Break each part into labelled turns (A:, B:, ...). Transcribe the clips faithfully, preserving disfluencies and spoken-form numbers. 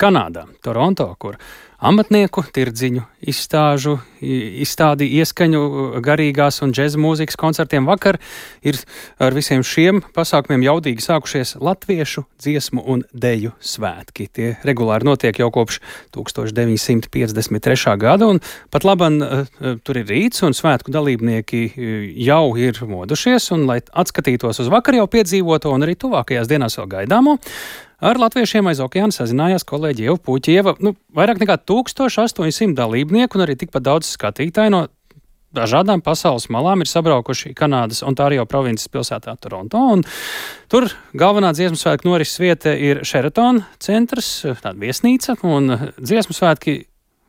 A: Kanādā, Toronto, kur amatnieku, tirdziņu, izstāžu, izstādi ieskaņu garīgās un džeza mūzikas koncertiem vakar ir ar visiem šiem pasākumiem jaudīgi sākušies latviešu dziesmu un deju svētki. Tie regulāri notiek jau kopš tūkstoš deviņi simti piecdesmit trešā gada, un pat laban tur ir rīts, un svētku dalībnieki jau ir modušies, un lai atskatītos uz vakar jau piedzīvoto un arī tuvākajās dienās vēl gaidāmo, ar latviešiem aiz okeāna sazinājās kolēģi Ieva Puķieva. Nu, vairāk nekā tūkstoš astoņi simti dalībnieku un arī tikpat daudz skatītāju no dažādām pasaules malām ir sabraukuši Kanādas Ontārio provinces pilsētā Toronto. Un tur galvenā dziesmu svētku norises vieta ir Sheraton centrs, tāda viesnīca, un dziesmu svētki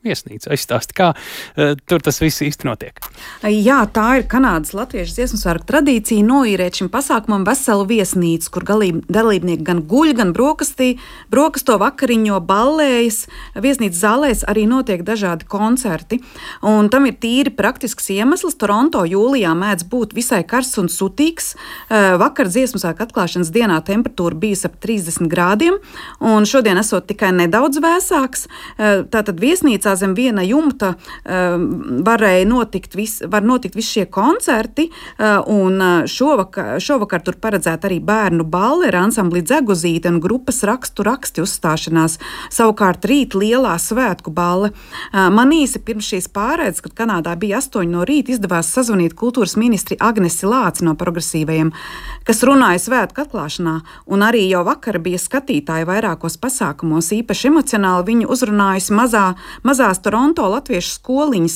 A: viesnīca. Aizstāsti, kā uh, tur tas viss īsti notiek.
B: Jā, tā ir Kanādas latviešu dziesmu svētku tradīcija noīrēt šim pasākumam veselu viesnīcu, kur galība, dalībnieki gan guļ, gan brokastī, brokasto vakariņo, ballējas. Viesnīcas zālēs arī notiek dažādi koncerti. Un tam ir tīri praktisks iemesls. Toronto jūlijā mēdz būt visai karsts un sutīgs. Uh, vakar dziesmu svētku atklāšanas dienā temperatūra bija ap trīsdesmit grādiem, un šodien esot tikai nedaudz vēsāks. Uh, tātad viesnīcā zem viena jumta uh, varēja notikt, vis, var notikt visi šie koncerti, uh, un šovakar, šovakar tur paredzēta arī bērnu balle ar ansambli Dzeguzīte un grupas rakstu raksti uzstāšanās. Savukārt rīt lielā svētku balle. Uh, man īsi pirms šīs pārēdes, kad Kanādā bija astoņi no rīta, izdevās sazvanīt kultūras ministri Agnesi Lāci no progresīvajiem, kas runāja svētku atklāšanā, un arī jau vakar bija skatītāji vairākos pasākumos, īpaši emocionāli viņu uzrunājusi mazā, mazā Toronto latviešu skoliņas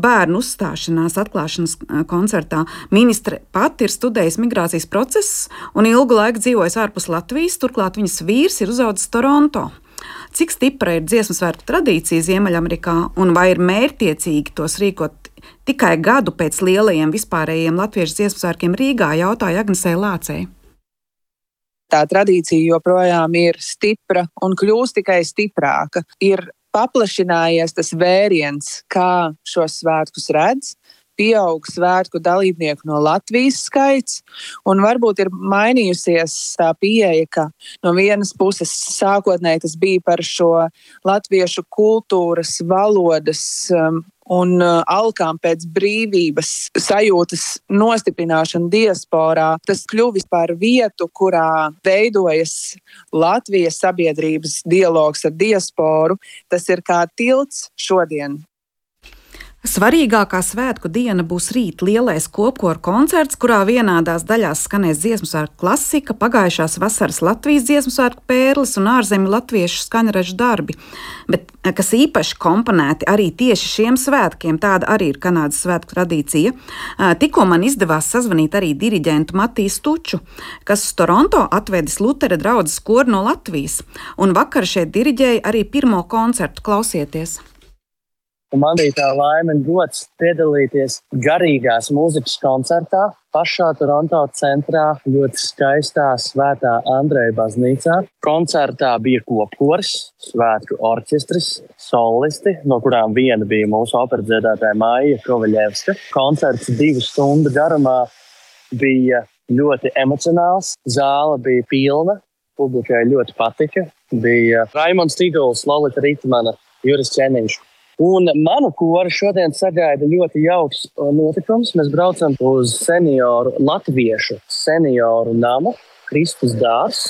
B: bērnu uzstāšanās atklāšanas koncertā. Ministre pati ir studējusi migrācijas procesus un ilgu laiku dzīvojusi ārpus Latvijas, turklāt viņas vīrs ir uzaudzis Toronto. Cik stipra ir dziesmu svētku tradīcija Ziemeļamerikā un vai ir mērķtiecīgi tos rīkot tikai gadu pēc lielajiem vispārējiem latviešu dziesmu svētkiem Rīgā, jautāja Agnesei Lācei.
C: Tā tradīcija joprojām ir stipra un kļūst tikai stiprāka. Ir paplašinājies tas vēriens, kā šos svētkus redz, pieaug svētku dalībnieku no Latvijas skaits, un varbūt ir mainījusies tā pieeja, ka no vienas puses sākotnēji tas bija par šo latviešu kultūras, valodas um, un uh, alkām pēc brīvības sajūtas nostiprināšanu diasporā. Tas kļuvis par vietu, kurā veidojas Latvijas sabiedrības dialogs ar diasporu. Tas ir kā tilts šodien.
B: Svarīgākā svētku diena būs rīt lielais kopkoru koncerts, kurā vienādās daļās skanēs dziesmu svētku klasika, pagājušās vasaras Latvijas dziesmu svētku pērles un ārzemju latviešu skaņražu darbi, bet kas īpaši komponēti arī tieši šiem svētkiem, tāda arī ir Kanādas svētku tradīcija. Tikko man izdevās sazvanīt arī diriģentu Matiju Stuču, kas uz Toronto atvedis Lutera draudzes koru no Latvijas, un vakar šeit diriģēja arī pirmo koncertu. Klausieties!
D: Un man bija tā laime un gods piedalīties garīgās mūzikas koncertā pašā Toronto centrā, ļoti skaistā Svētā Andreja baznīcā. Koncertā bija kopkoris, svētku orķestris, solisti, no kurām viena bija mūsu operadziedātāja Maija Kovaļevska. Koncerts divu stundu garumā bija ļoti emocionāls, zāle bija pilna, publikai ļoti patika. Bija Raimonds Tīguls, Lolita Ritmana, Juris Čeniņš. Un manu kori šodien sagaida ļoti jauks notikums. Mēs braucam uz senioru, latviešu senioru namu, Kristus dārs.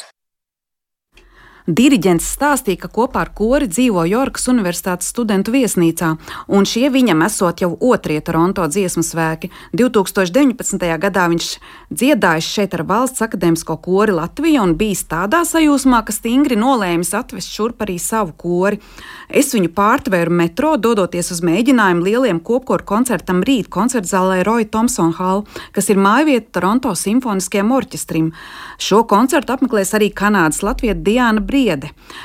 B: Diriģents stāstīja, ka kopā ar kori dzīvo Jorkas Universitātes studentu viesnīcā, un šie viņam esot jau otrie Toronto dziesmu svēki. divi tūkstoši deviņpadsmitajā gadā viņš dziedājis šeit ar valsts akadēmisko kori Latviju un bijis tādā sajūsmā, ka stingri nolēmis atvest šurp arī savu kori. Es viņu pārtvēru metro, dodoties uz mēģinājumu lieliem kopkoru koncertam rīt koncertzālē Roy Thompson Hall, kas ir mājvieta Toronto simfoniskajam orķestrim. Šo koncertu apmeklēs arī Kanādas latviete Diana Briede.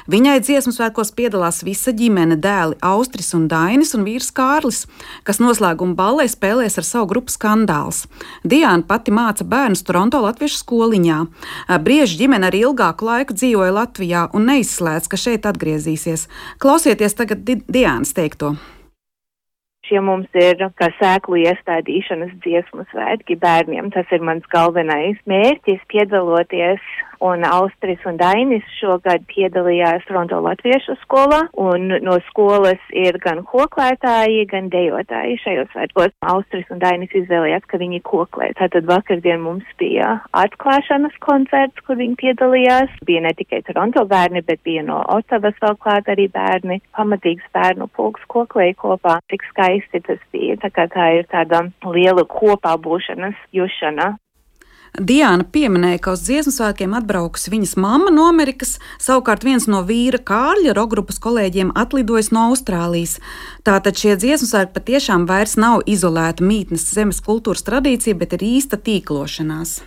B: Viņai dziesmu svētkos piedalās visa ģimene, dēli Austris un Dainis un vīrs Kārlis, kas noslēguma ballē spēlēs ar savu grupu Skandāls. Diana pati māca bērnus Toronto latviešu skoliņā. Brieža ģimene arī ilgāku laiku dzīvoja Latvijā un neizslēdz, ka šeit atgriezīsies. Klausieties tagad Diānas teikto.
E: Šie mums ir kā sēklu iestādīšanas dziesmu svētki bērniem. Tas ir mans galvenais mērķis, piedaloties un Austris un Dainis šogad piedalījās Toronto latviešu skolā, un no skolas ir gan koklētāji, gan dejotāji šajos svētkos. Austris un Dainis izvēlējās, ka viņi koklē. Tātad vakardien mums bija atklāšanas koncerts, kur viņi piedalījās. Bija ne tikai Toronto bērni, bet bija no Otavas vēl klāt arī bērni. Pamatīgs bērnu pulks koklēja kopā. Tik skaisti tas bija. Tā kā tā ir tāda liela kopā būšanas jušana.
B: Diāna pieminēja, ka uz dziesmu svētkiem atbraukusi viņas mamma no Amerikas, savukārt viens no vīra Kārļa rokgrupas kolēģiem atlidojis no Austrālijas. Tātad šie dziesmu svētki patiešām vairs nav izolēta mītnes zemes kultūras tradīcija, bet ir īsta tīklošanās.